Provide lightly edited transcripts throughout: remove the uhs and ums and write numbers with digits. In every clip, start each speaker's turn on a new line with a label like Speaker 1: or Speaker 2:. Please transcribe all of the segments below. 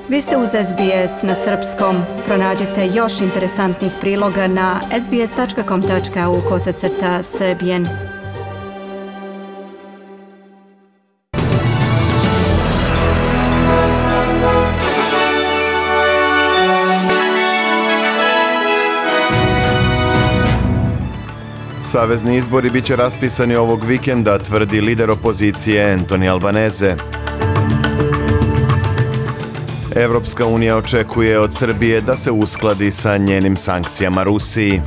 Speaker 1: Vi ste uz SBS na srpskom. Pronađite još interesantnih priloga na sbs.com.au/srbijen.
Speaker 2: Savezni izbori biće raspisani ovog vikenda, tvrdi lider opozicije Anthony Albanese. Evropska unija očekuje od Srbije da se uskladi sa njenim sankcijama Rusiji.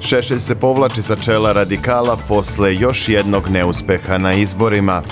Speaker 2: Šešelj se povlači sa čela radikala posle još jednog neuspeha na izborima.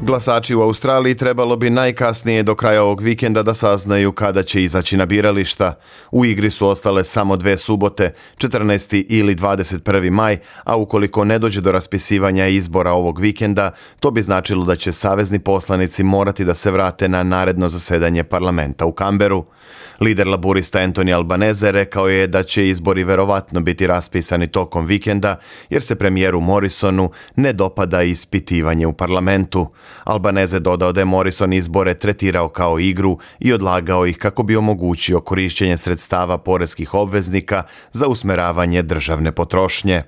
Speaker 2: Glasači u Australiji trebalo bi najkasnije do kraja ovog vikenda da saznaju kada će izaći na birališta. U igri su ostale samo 2 subote, 14. ili 21. maj, a ukoliko ne dođe do raspisivanja izbora ovog vikenda, to bi značilo da će savezni poslanici morati da se vrate na naredno zasedanje parlamenta u Kamberu. Lider laburista Anthony Albanese rekao je da će izbori verovatno biti raspisani tokom vikenda, jer se premijeru Morrisonu ne dopada ispitivanje u parlamentu. Albanese dodao da je Morrison izbore tretirao kao igru i odlagao ih kako bi omogućio korišćenje sredstava poreskih obveznika za usmeravanje državne potrošnje.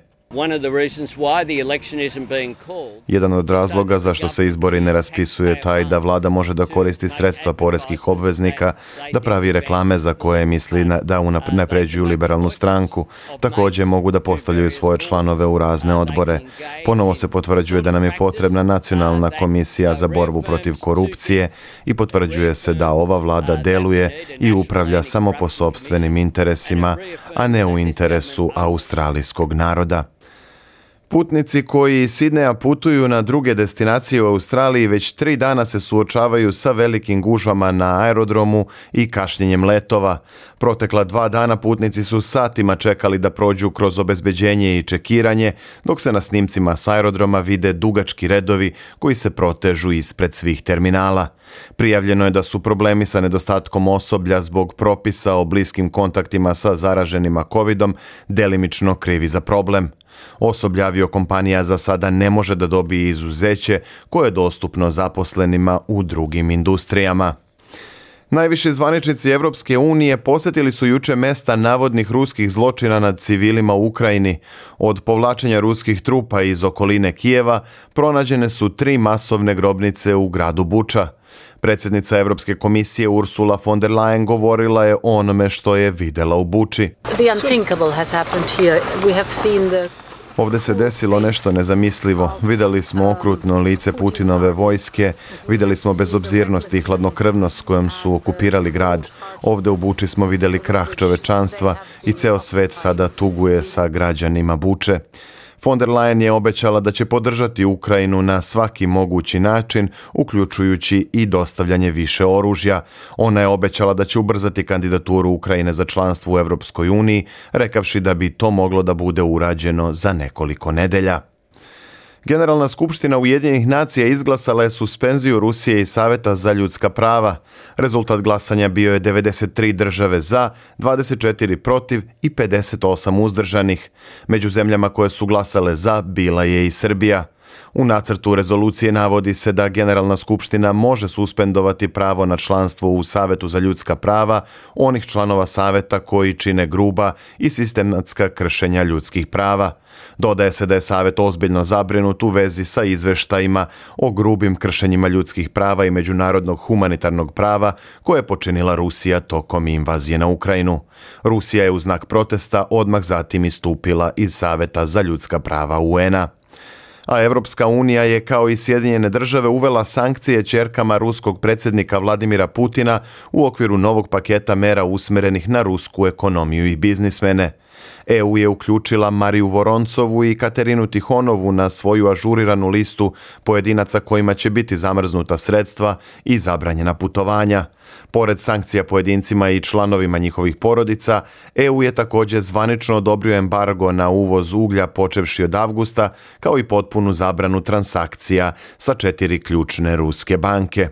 Speaker 2: Jedan od razloga zašto se izbori ne raspisuje taj da vlada može da koristi sredstva poreskih obveznika, da pravi reklame za koje misli da unapređuju liberalnu stranku. Također mogu da postavljaju svoje članove u razne odbore. Ponovo se potvrđuje da nam je potrebna nacionalna komisija za borbu protiv korupcije i potvrđuje se da ova vlada deluje i upravlja samo po sopstvenim interesima, a ne u interesu australijskog naroda. Putnici koji iz Sidneja putuju na druge destinacije u Australiji već 3 dana se suočavaju sa velikim gužvama na aerodromu i kašnjenjem letova. Protekla 2 dana putnici su satima čekali da prođu kroz obezbeđenje i čekiranje, dok se na snimcima s aerodroma vide dugački redovi koji se protežu ispred svih terminala. Prijavljeno je da su problemi sa nedostatkom osoblja zbog propisa o bliskim kontaktima sa zaraženima covidom delimično krivi za problem. Osoblje aviokompanija za sada ne može da dobije izuzeće koje je dostupno zaposlenima u drugim industrijama. Najviši zvaničnici Evropske unije posjetili su juče mesta navodnih ruskih zločina nad civilima u Ukrajini. Od povlačenja ruskih trupa iz okoline Kijeva pronađene su 3 masovne grobnice u gradu Buča. Predsjednica Evropske komisije Ursula von der Leyen govorila je o onome što je videla u Buči. Ovdje se desilo nešto nezamislivo. Vidjeli smo okrutno lice Putinove vojske, vidjeli smo bezobzirnost i hladnokrvnost s kojom su okupirali grad. Ovdje u Buči smo vidjeli krah čovečanstva i ceo svet sada tuguje sa građanima Buče. Von der Leyen je obećala da će podržati Ukrajinu na svaki mogući način, uključujući i dostavljanje više oružja. Ona je obećala da će ubrzati kandidaturu Ukrajine za članstvo u Evropskoj uniji, rekavši da bi to moglo da bude urađeno za nekoliko nedelja. Generalna skupština Ujedinjenih nacija izglasala je suspenziju Rusije i Saveta za ljudska prava. Rezultat glasanja bio je 93 države za, 24 protiv i 58 uzdržanih. Među zemljama koje su glasale za bila je i Srbija. U nacrtu rezolucije navodi se da Generalna skupština može suspendovati pravo na članstvo u Savetu za ljudska prava onih članova Saveta koji čine gruba i sistematska kršenja ljudskih prava. Dodaje se da je Savet ozbiljno zabrinut u vezi sa izveštajima o grubim kršenjima ljudskih prava i međunarodnog humanitarnog prava koje je počinila Rusija tokom invazije na Ukrajinu. Rusija je u znak protesta odmah zatim istupila iz Saveta za ljudska prava UN-a. A Evropska unija je kao i Sjedinjene države uvela sankcije ćerkama ruskog predsjednika Vladimira Putina u okviru novog paketa mera usmjerenih na rusku ekonomiju i biznismene. EU je uključila Mariju Voroncovu i Katerinu Tihonovu na svoju ažuriranu listu pojedinaca kojima će biti zamrznuta sredstva i zabranjena putovanja. Pored sankcija pojedincima i članovima njihovih porodica, EU je također zvanično odobrio embargo na uvoz uglja počevši od avgusta, kao i potpunu zabranu transakcija sa 4 ključne ruske banke.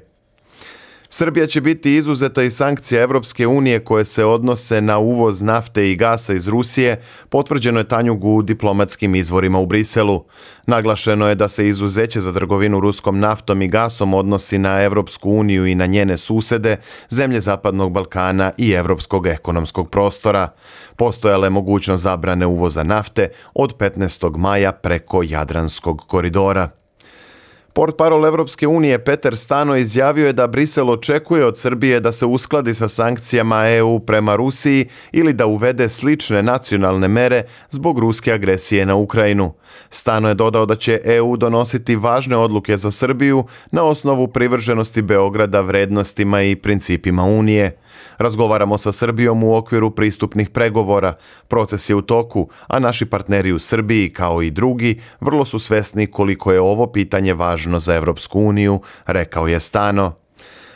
Speaker 2: Srbija će biti izuzeta iz sankcija Evropske unije koje se odnose na uvoz nafte i gasa iz Rusije, potvrđeno je Tanjugu u diplomatskim izvorima u Briselu. Naglašeno je da se izuzeće za trgovinu ruskom naftom i gasom odnosi na Evropsku uniju i na njene susede, zemlje Zapadnog Balkana i Evropskog ekonomskog prostora. Postojala je mogućnost zabrane uvoza nafte od 15. maja preko Jadranskog koridora. Portparol Evropske unije Peter Stano izjavio je da Brisel očekuje od Srbije da se uskladi sa sankcijama EU prema Rusiji ili da uvede slične nacionalne mere zbog ruske agresije na Ukrajinu. Stano je dodao da će EU donositi važne odluke za Srbiju na osnovu privrženosti Beograda vrednostima i principima Unije. Razgovaramo sa Srbijom u okviru pristupnih pregovora. Proces je u toku, a naši partneri u Srbiji, kao i drugi, vrlo su svesni koliko je ovo pitanje važno za Evropsku uniju, rekao je Stano.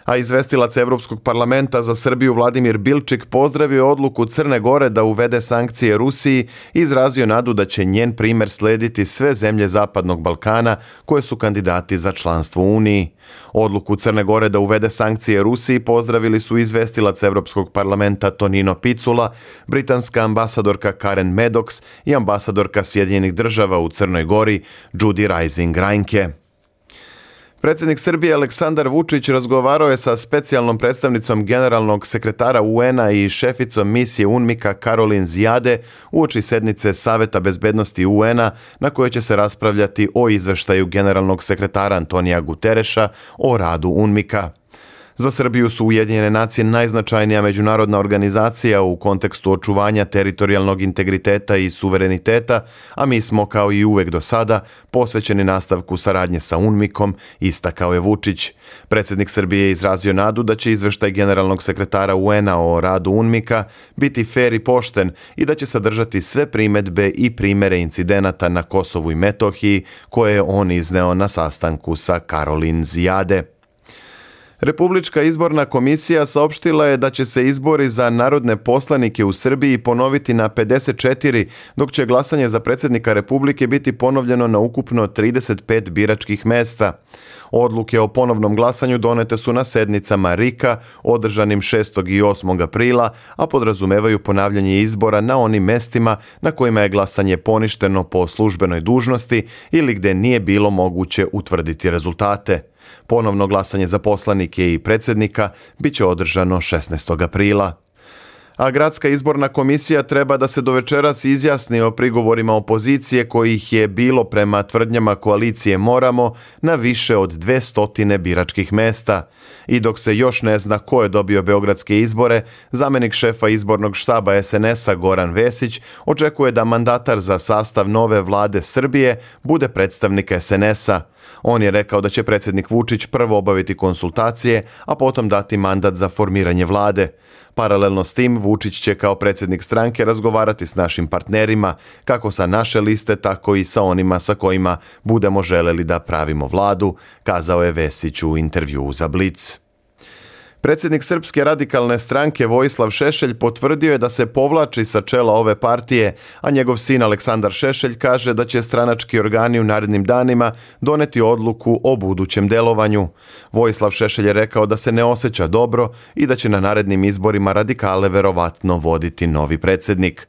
Speaker 2: A izvestilac Evropskog parlamenta za Srbiju Vladimir Bilčik pozdravio odluku Crne Gore da uvede sankcije Rusiji i izrazio nadu da će njen primer slediti sve zemlje Zapadnog Balkana koje su kandidati za članstvo u Uniji. Odluku Crne Gore da uvede sankcije Rusiji pozdravili su izvestilac Evropskog parlamenta Tonino Picula, britanska ambasadorka Karen Maddox i ambasadorka Sjedinjenih država u Crnoj Gori Judy Rising Reinke. Predsjednik Srbije Aleksandar Vučić razgovarao je sa specijalnom predstavnicom generalnog sekretara UN-a i šeficom misije UNMIK-a Karolin Zijade uoči sednice Saveta bezbednosti UN-a na kojoj će se raspravljati o izveštaju generalnog sekretara Antonija Gutereša o radu UNMIK-a. Za Srbiju su Ujedinjene nacije najznačajnija međunarodna organizacija u kontekstu očuvanja teritorijalnog integriteta i suvereniteta, a mi smo, kao i uvek do sada, posvećeni nastavku saradnje sa UNMIK-om, istakao je Vučić. Predsjednik Srbije je izrazio nadu da će izveštaj generalnog sekretara UN-a o radu UNMIK-a biti fer i pošten i da će sadržati sve primedbe i primere incidenata na Kosovu i Metohiji koje je on izneo na sastanku sa Karolin Zijade. Republička izborna komisija saopštila je da će se izbori za narodne poslanike u Srbiji ponoviti na 54, dok će glasanje za predsjednika Republike biti ponovljeno na ukupno 35 biračkih mesta. Odluke o ponovnom glasanju donete su na sednicama RIK-a održanim 6. i 8. aprila, a podrazumevaju ponavljanje izbora na onim mestima na kojima je glasanje poništeno po službenoj dužnosti ili gdje nije bilo moguće utvrditi rezultate. Ponovno glasanje za poslanike i predsjednika bit će održano 16. aprila. A gradska izborna komisija treba da se do večeras izjasni o prigovorima opozicije kojih je bilo prema tvrdnjama koalicije Moramo na više od 200 biračkih mesta. I dok se još ne zna ko je dobio beogradske izbore, zamenik šefa izbornog štaba SNS-a Goran Vesić očekuje da mandatar za sastav nove vlade Srbije bude predstavnik SNS-a. On je rekao da će predsjednik Vučić prvo obaviti konsultacije, a potom dati mandat za formiranje vlade. Paralelno s tim, Vučić će kao predsjednik stranke razgovarati s našim partnerima, kako sa naše liste, tako i sa onima sa kojima budemo želeli da pravimo vladu, kazao je Vesić u intervjuu za Blic. Predsjednik Srpske radikalne stranke Vojislav Šešelj potvrdio je da se povlači sa čela ove partije, a njegov sin Aleksandar Šešelj kaže da će stranački organi u narednim danima doneti odluku o budućem delovanju. Vojislav Šešelj je rekao da se ne osjeća dobro i da će na narednim izborima radikale verovatno voditi novi predsjednik.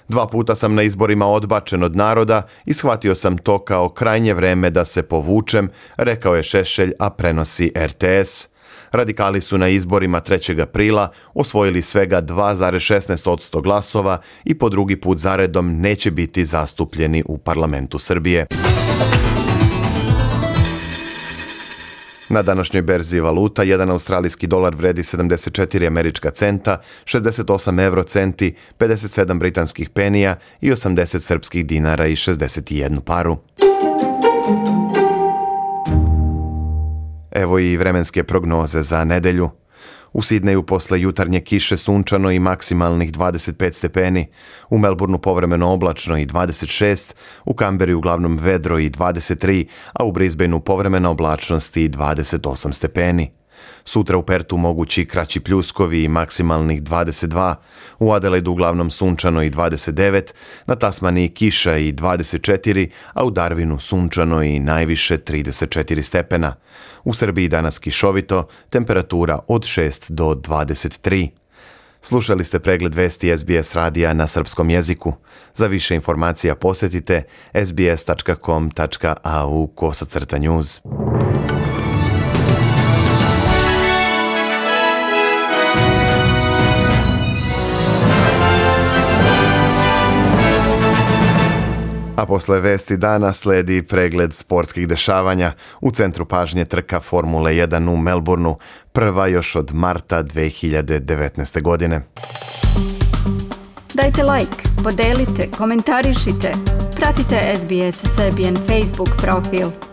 Speaker 2: 2 puta sam na izborima odbačen od naroda i shvatio sam to kao krajnje vreme da se povučem, rekao je Šešelj, a prenosi RTS. Radikali su na izborima 3. aprila osvojili svega 2,16% glasova i po drugi put zaredom neće biti zastupljeni u parlamentu Srbije. Na današnjoj berzi valuta, 1 australijski dolar vredi 74 američka centa, 68 eurocenti, 57 britanskih penija i 80 srpskih dinara i 61 paru. Evo i vremenske prognoze za nedelju. U Sidneju posle jutarnje kiše sunčano i maksimalnih 25 stepeni, u Melbourneu povremeno oblačno i 26, u Kamberi uglavnom vedro i 23, a u Brisbaneu povremena oblačnost i 28 stepeni. Sutra u Pertu mogući kraći pljuskovi i maksimalnih 22, u Adelaidu uglavnom sunčano i 29, na Tasmaniji kiša i 24, a u Darwinu sunčano i najviše 34 stepena. U Srbiji danas kišovito, temperatura od 6 do 23. Slušali ste pregled vesti SBS radija na srpskom jeziku. Za više informacija posjetite sbs.com.au/news. A posle vesti dana sledi pregled sportskih dešavanja. U centru pažnje trka Formule 1 u Melbourneu, prva još od marta 2019. godine.
Speaker 1: Dajte like, podelite, komentarišite. Pratite SBS Serbian Facebook profil.